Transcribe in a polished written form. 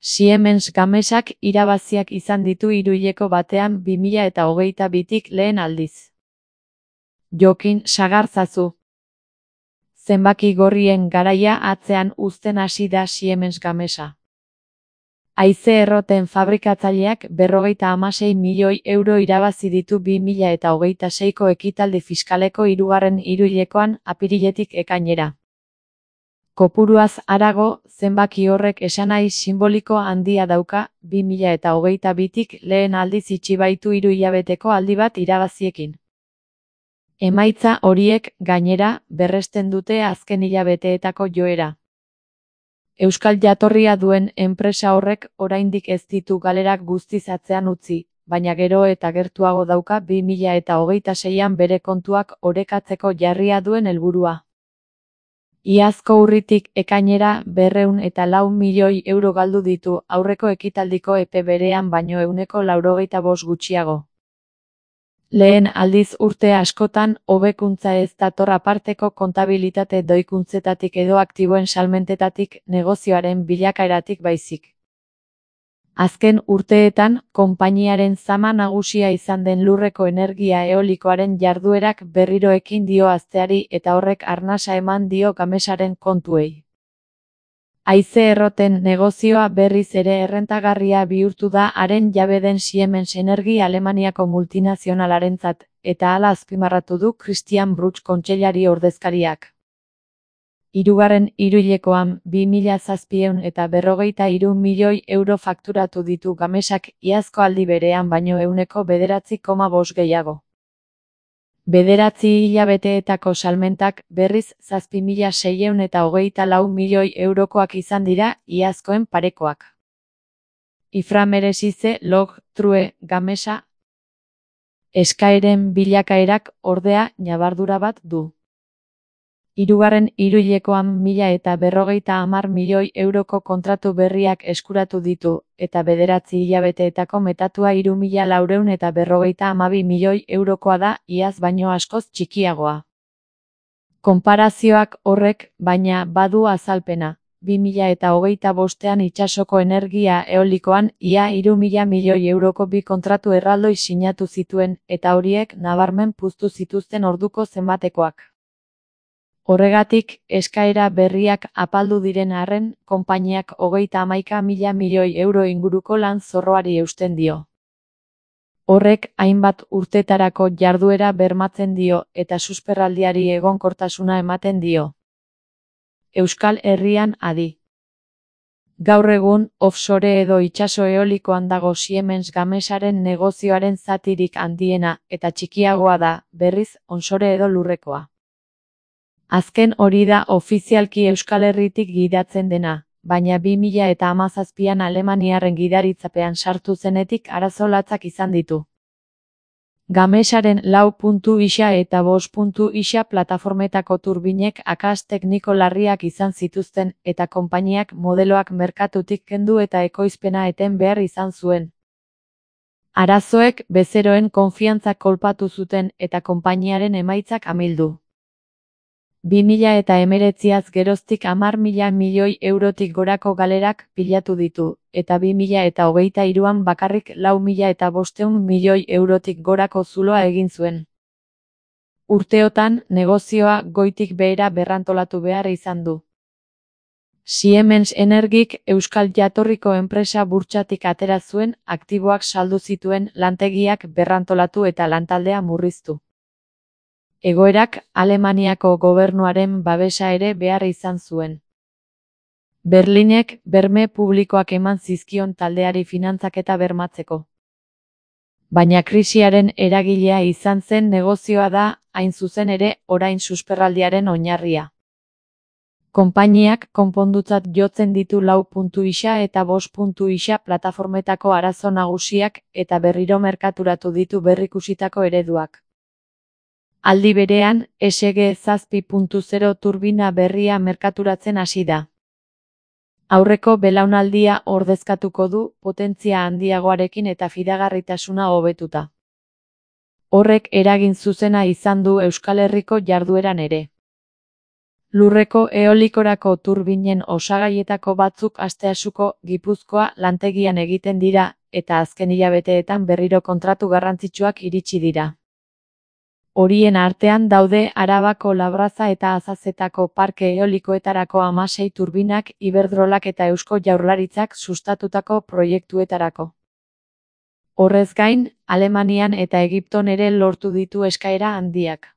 Siemens Gamesak irabaziak izan ditu hiruhileko batean 2022tik lehen aldiz. Jokin sagartzazu. Zenbaki gorrien garaia atzean uzten hasi da Siemens Gamesa. Haize erroten fabrikatzaileak 56 milioi euro irabazi ditu 2026ko ekitaldi fiskaleko hirugarren hiruhilekoan apiriletik ekainera. Kopuruaz harago, zenbaki horrek esanahi sinboliko handia dauka, 2022tik lehen aldiz itxi baitu 3 hilabeteko aldi bat irabaziekin. Emaitza horiek, gainera, berresten dute azken hilabeteetako joera. Euskal jatorria duen enpresa horrek oraindik ez ditu galerak guztiz atzean utzi, baina gero eta gertuago dauka 2026an bere kontuak orekatzeko jarria duen helburua. Iazko urritik ekainera 204 milioi euro galdu ditu aurreko ekitaldiko epe berean baino 195 gutxiago. Lehen aldiz urte askotan, hobekuntza ez dator aparteko kontabilitate doikuntzetatik edo aktiboen salmentetatik, negozioaren bilakaeratik baizik. Azken urteetan, konpainiaren zama nagusia izan den lurreko energia eolikoaren jarduerak berriro ekin dio hazteari eta horrek arnasa eman dio Gamesaren kontuei. Haize erroten negozioa berriz ere errentagarria bihurtu da haren jabe den Siemens Energy Alemaniako multinazionalarentzat, eta hala azpimarratu du Christian Bruch kontseilari ordezkariak. Hirugarren hiruhilekoan 2753 milioi euro fakturatu ditu Gamesak iazko aldi berean baino 9,5% gehiago. 9 hilabeteetako salmentak berriz 7.624 milioi eurokoak izan dira iazkoen parekoak. Iframeresize log true Gamesa. Eskaeren bilakaerak ordea ñabardura bat du. Hirugarren hiruhilekoan 1.050 milioi euroko kontratu berriak eskuratu ditu, eta 9 hilabeteetako metatua 3.452 milioi eurokoa da, iaz baino askoz txikiagoa. Konparazioak horrek, baina, badu azalpena. 2025ean itsasoko energia eolikoan ia 3.000 milioi euroko bi kontratu erraldoi sinatu zituen, eta horiek nabarmen puztu zituzten orduko zenbatekoak. Horregatik, eskaera berriak apaldu diren arren, konpainiak 31.000 milioi euro inguruko lan zorroari eusten dio. Horrek hainbat urtetarako jarduera bermatzen dio eta susperraldiari egonkortasuna ematen dio. Euskal Herrian adi. Gaur egun, offshore edo itsaso eolikoan dago Siemens Gamesaren negozioaren zatirik handiena eta txikiagoa da, berriz, onshore edo lurrekoa. Azken hori da ofizialki Euskal Herritik gidatzen dena, baina 2017an alemaniarren gidaritzapean sartu zenetik arazo latzak izan ditu. Gamesaren 4.isa eta 5.isa plataformetako turbinek akats tekniko larriak izan zituzten eta konpainiak modeloak merkatutik kendu eta ekoizpena eten behar izan zuen. Arazoek bezeroen konfiantza kolpatu zuten eta konpainiaren emaitzak amildu. 2019az geroztik 10.000 milioi eurotik gorako galerak pilatu ditu, eta 2023an bakarrik 4.500 milioi eurotik gorako zuloa egin zuen. Urteotan, negozioa goitik behera berrantolatu behar izan du. Siemens Energyk Euskal jatorriko enpresa burtsatik atera zuen, aktiboak saldu zituen, lantegiak berrantolatu eta lantaldea murriztu. Egoerak Alemaniako gobernuaren babesa ere behar izan zuen. Berlinek berme publikoak eman zizkion taldeari finantzaketa bermatzeko. Baina krisiaren eragilea izan zen negozioa da, hain zuzen ere, orain susperraldiaren oinarria. Konpainiak konpondutzat jotzen ditu 4.isa eta 5.isa plataformetako arazo nagusiak eta berriro merkaturatu ditu berrikusitako ereduak. Aldi berean, SG 7.0 turbina berria merkaturatzen hasi da. Aurreko belaunaldia ordezkatuko du, potentzia handiagoarekin eta fidagarritasuna hobetuta. Horrek eragin zuzena izan du Euskal Herriko jardueran ere. Lurreko eolikorako turbinen osagaietako batzuk Asteasuko Gipuzkoa lantegian egiten dira, eta azken hilabeteetan berriro kontratu garrantzitsuak iritsi dira. Horien artean daude Arabako Labraza eta Azazetako parke eolikoetarako 16 turbinak, Iberdrolak eta Eusko Jaurlaritzak sustatutako proiektuetarako. Horrez gain, Alemanian eta Egipton ere lortu ditu eskaera handiak.